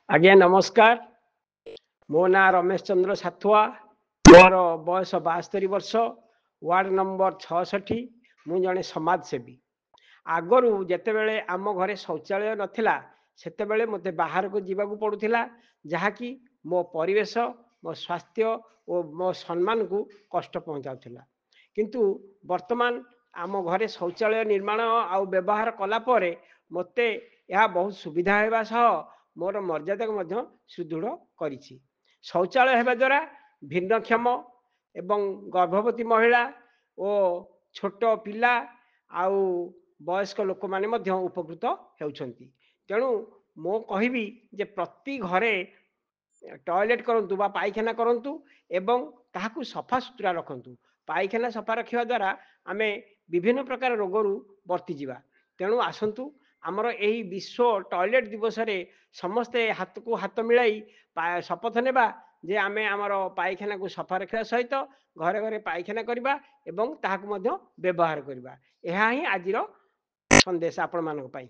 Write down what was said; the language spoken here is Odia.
ଆଜ୍ଞା ନମସ୍କାର। ମୋ ନାଁ ରମେଶ ଚନ୍ଦ୍ର ସାଥୁଆ, ମୋର ବୟସ 72 ବର୍ଷ, ୱାର୍ଡ଼ ନମ୍ବର 66। ମୁଁ ଜଣେ ସମାଜସେବୀ। ଆଗରୁ ଯେତେବେଳେ ଆମ ଘରେ ଶୌଚାଳୟ ନଥିଲା, ସେତେବେଳେ ମୋତେ ବାହାରକୁ ଯିବାକୁ ପଡ଼ୁଥିଲା, ଯାହାକି ମୋ ପରିବେଶ, ମୋ ସ୍ୱାସ୍ଥ୍ୟ ଓ ମୋ ସମ୍ମାନକୁ କଷ୍ଟ ପହଞ୍ଚାଉଥିଲା। କିନ୍ତୁ ବର୍ତ୍ତମାନ ଆମ ଘରେ ଶୌଚାଳୟ ନିର୍ମାଣ ଆଉ ବ୍ୟବହାର କଲା ପରେ ମୋତେ ଏହା ବହୁତ ସୁବିଧା ହେବା ସହ ମୋର ମର୍ଯ୍ୟାଦାକୁ ମଧ୍ୟ ସୁଦୃଢ଼ କରିଛି। ଶୌଚାଳୟ ହେବା ଦ୍ୱାରା ଭିନ୍ନକ୍ଷମ ଏବଂ ଗର୍ଭବତୀ ମହିଳା ଓ ଛୋଟ ପିଲା ଆଉ ବୟସ୍କ ଲୋକମାନେ ମଧ୍ୟ ଉପକୃତ ହେଉଛନ୍ତି। ତେଣୁ ମୁଁ କହିବି ଯେ ପ୍ରତି ଘରେ ଟଏଲେଟ୍ କରନ୍ତୁ ବା ପାଇଖାନା କରନ୍ତୁ ଏବଂ ତାହାକୁ ସଫାସୁତୁରା ରଖନ୍ତୁ। ପାଇଖାନା ସଫା ରଖିବା ଦ୍ୱାରା ଆମେ ବିଭିନ୍ନ ପ୍ରକାର ରୋଗରୁ ବର୍ତ୍ତିଯିବା। ତେଣୁ ଆସନ୍ତୁ, ଆମର ଏହି ବିଶ୍ୱ ଟଏଲେଟ୍ ଦିବସରେ ସମସ୍ତେ ହାତକୁ ହାତ ମିଳାଇ ଶପଥ ନେବା ଯେ ଆମେ ଆମର ପାଇଖାନାକୁ ସଫା ରଖିବା ସହିତ ଘରେ ଘରେ ପାଇଖାନା କରିବା ଏବଂ ତାହାକୁ ମଧ୍ୟ ବ୍ୟବହାର କରିବା। ଏହା ହିଁ ଆଜିର ସନ୍ଦେଶ ଆପଣମାନଙ୍କ ପାଇଁ।